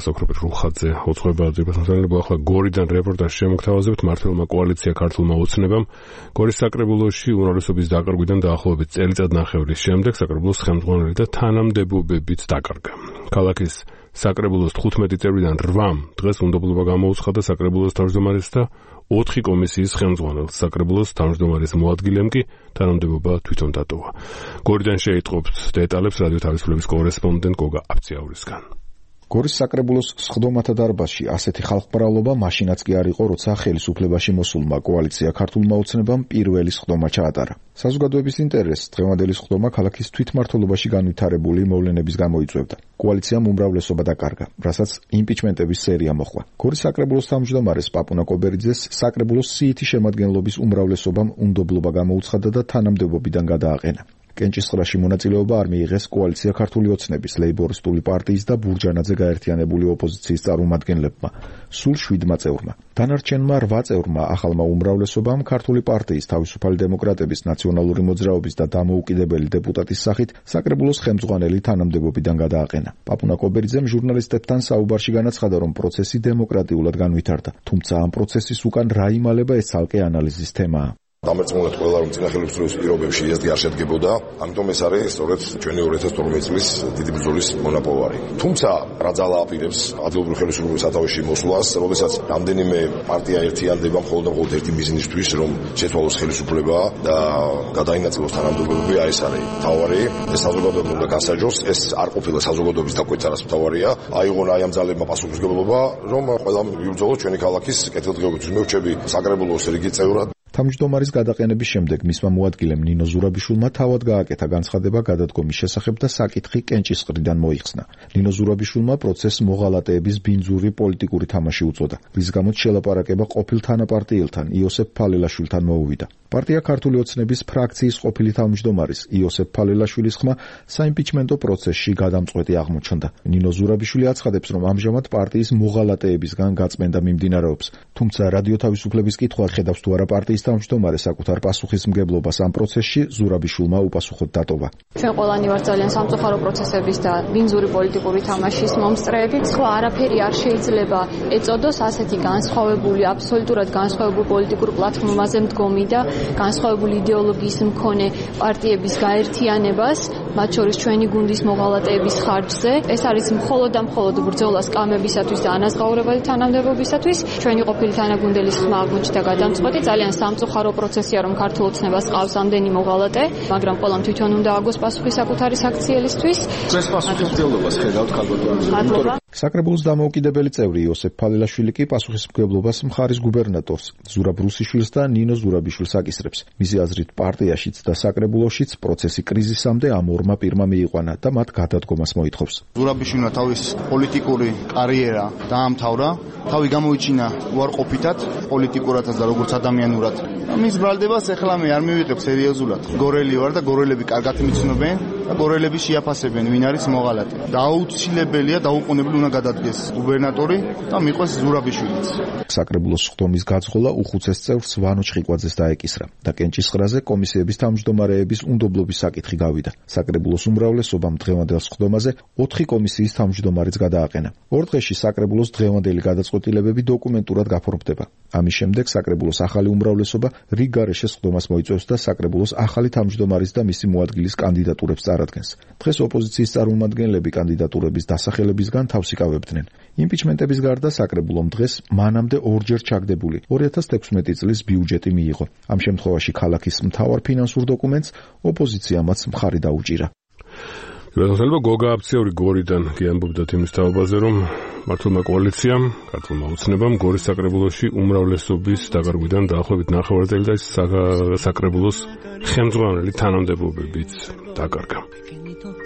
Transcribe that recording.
სოფროპეთ რუხაძე ოცხოება ძირფასმსახურება ახლა გორიდან რეპორტაჟი შემოგთავაზებთ მართლმა კოალიცია ქართულმა ოცნებამ გორის საკრებულოში უმრავლესობის დაკარგვიდან დაახლოებით წელიწადნახევრის შემდეგ საკრებულოს ხელმძღვანელი და თანამდებობებიც დაკარგა. ქალაქის საკრებულოს 15 წევრიდან 8 დღეს უნდობლობა გამოუცხადა საკრებულოს თავმჯდომარეს და 4 კომისიის ხელმძღვანელს. საკრებულოს თავმჯდომარის მოადგილემ კი თანამდებობა თვითონ დატოვა. გორიდან შეიტყობთ დეტალებს რადიო თავისუფლების კორესპონდენტ გოგა აბციაურისგან. გორის საკრებულოს სხდომათა დარბაზში ასეთი ხალხმრავლობა მაშინაც კი არ იყო, როცა ხელისუფლებაში მოსულმა კოალიცია ქართულმა ოცნებამ პირველი სხდომა ჩაატარა. საზოგადოების ინტერესს დღევანდელი სხდომა ქალაქის თვითმმართველობაში განვითარებული მოვლენების გამო იწვევდა. კოალიციამ უმრავლესობა დაკარგა, რასაც იმპიჩმენტების სერია მოჰყვა. გორის საკრებულოს თავმჯდომარეს პაპუნა კობერიძეს საკრებულოს სიითი შემადგენლობის უმრავლესობამ უნდობლობა გამოუცხადა და თანამდებობიდან გადააყენა. კენჭისყრაში მონაწილეობა არ მიიღეს კოალიცია ქართული ოცნების, ლეიბორისტული პარტიის და ბურჯანაძე გაერთიანებული ოპოზიციის წარმომადგენლებმა, სულ 7 წევრმა. დანარჩენმა 8 წევრმა ახალმა უმრავლესობამ ქართული პარტიის, თავისუფალი დემოკრატების, ნაციონალური მოძრაობის და დამოუკიდებელი დეპუტატის სახით საკრებულოს ხელმძღვანელი თანამდებობიდან გადააყენა. პაპუნა კობერიძემ ჟურნალისტებთან საუბარში განაცხადა, რომ პროცესი დემოკრატიულად განვითარდა, თუმცა ამ პროცესის უკან რა იმალება, ეს ცალკე ანალიზის თემაა. დამერწმუნეთ ყველა, რომ წინა ხელისუფლების პირობებში ესეთი არ შედგებოდა, ამიტომ ეს არის სწორედ ჩვენი 2012 წლის დიდი ბრძოლის მონაპოვარი. თუმცა რა ძალა აპირებს ადგილობრივი ხელისუფლების სათავეში მოსვლას, როდესაც რამდენიმე პარტია ერთიანდება მხოლოდ ერთი მიზნისთვის, რომ შეცვალოს ხელისუფლება და გადაინაწილოს თანამდებობები, ეს არის მთავარი. ეს საზოგადოება უნდა გასაჯოს, ეს არ ყოფილა საზოგადოების დაკვეცარას მთავარია. აიღონ ამ ძალებმა პასუხისმგებლობა, რომ ყველა მიუბრძოლოს ჩვენი ქალაქის კეთილდღეობისთვის. მე ვრჩები საკრებულოს რიგი წევრად. თავმჯდომარის გადაყენების შემდეგ მისმა მოადგილემ ნინო ზურაბიშვილმა თავად გააკეთა განცხადება გადადგომის შესახებ და საკითხი კენჭისყრიდან მოიხსნა. ნინო ზურაბიშვილმა პროცესს მოღალატეების ბინძური პოლიტიკური თამაში უწოდა, რის გამოც შელაპარაკება ყოფილ თანაპარტიელთან იოსებ ფალელაშვილთან მოუვიდა. პარტია ქართული ოცნების ფრაქციის ყოფილი თავმჯდომარის იოსებ ფალელაშვილის ხმა საიმპიჩმენტო პროცესში გადამწყვეტი აღმოჩნდა. ნინო ზურაბიშვილი აცხადებს, რომ ამჟამად პარტიის მოღალატეებისგან გაწმენდა მიმდინარეობს, თუმცა რადიო თავისუფლების კითხვა ხედავს თუ არა პარტიის თავმჯდომარე საკუთარ პასუხისმგებლობას ამ პროცესში, ზურაბიშვილმა უპასუხოდ დატოვა. ჩვენ ყველანი ვართ ძალიან სამწუხარო პროცესების და ბინძური პოლიტიკური თამაშის მომსწრეები. სხვა არაფერი არ შეიძლება ეწოდოს ასეთი განსხვავებული, აბსოლუტურად განსხვავებული პოლიტიკურ პლატფორმაზე მდგომი და განსხვავებული იდეოლოგიის მქონე პარტიების გაერთიანებას, მათ შორის ჩვენი გუნდის მოღალატეების ხარჯზე. ეს არის მხოლოდ და მხოლოდ ბრძოლა სკამებისათვის და ანაზღაურებადი თანამდებობისათვის. ჩვენი ყოფილი თანაგუნდელის ხმა აღმოჩნდა გადამწყვეტი, ძალიან სამწუხარო პროცესია, რომ ქართულ ოცნებას ყავს ამდენი მოღალატე, მაგრამ ყველამ თვითონ უნდა აგოს პასუხი საკუთარი საქციელისთვის. ეს პასუხისმგებლობას ხედავთ ქალბატონო. საკრებულოს დამოუკიდებელი წევრი იოსებ ფალელაშვილი კი პასუხისმგებლობას მხარის გუბერნატორს ზურაბ რუსიშვილს და ნინო ზურაბიშვილს აკისრებს. მისი აზრით პარტიაშიც და საკრებულოშიც პროცესი კრიზისამდე ამ ორმა პირმა მიიყვანა და მათ გადადგომას მოითხოვს. ზურაბიშვილმა თავის პოლიტიკური კარიერა დაამთავრა, თავი გამოიჩინა უარყოფითად პოლიტიკურადაც და როგორც ადამიანურად. მის ბრალდებას ახლა მე არ მივიღებ სერიოზულად. გორელი ვარ და გორელები კარგად მიცნობენ და გორელები შეაფასებენ, ვინ არის მოღალატე. დაუცილებელია, დაუყოვნებელი უნდა გადადგეს გუბერნატორი და მიყვეს ზურაბიშვილიც. საკრებულოს სხდომის გაძღოლა უხუცეს წევრს ვანო ჩხიკვაძეს დაეკისრა და კენჭისყრაზე კომისიების თავმჯდომარეების უნდობლობის საკითხი გავიდა. საკრებულოს უმრავლესობამ დღევანდელ სხდომაზე 4 კომისიის თავმჯდომარეც გადააყენა. 2 დღეში საკრებულოს დღევანდელი გადაწყვეტილებები დოკუმენტურად გაფორმდება. ამის შემდეგ საკრებულოს ახალი უმრავლესობა რიგ გარეშე სხდომას მოიწვევს და საკრებულოს ახალი თავმჯდომარის და მისი მოადგილის კანდიდატურებს წარადგენს. დღეს ოპოზიციის წარმომადგენლები კანდიდატურების დასახელებისგან თავს იკავებდნენ. იმპიჩმენტების გარდა საკრებულომ დღეს მანამდე ორჯერ ჩაგდებული 2016 წლის ბიუჯეტი მიიღო. ამ შემთხვევაში ქალაქის მთავარ ფინანსურ დოკუმენტს ოპოზიციამაც მხარი დაუჭირა. გასაძლოა გოგა აბციური გორიდან გიამბობდათ იმის თაობაზე, რომ მართლმა კოალიციამ, ქართულმა ოცნებამ გორის საკრებულოში უმრავლესობის დაკარგვიდან დაახლოებით 9 წელიწადში საკრებულოს ხელმძღვანელი თანამდებობებიც დაკარგა.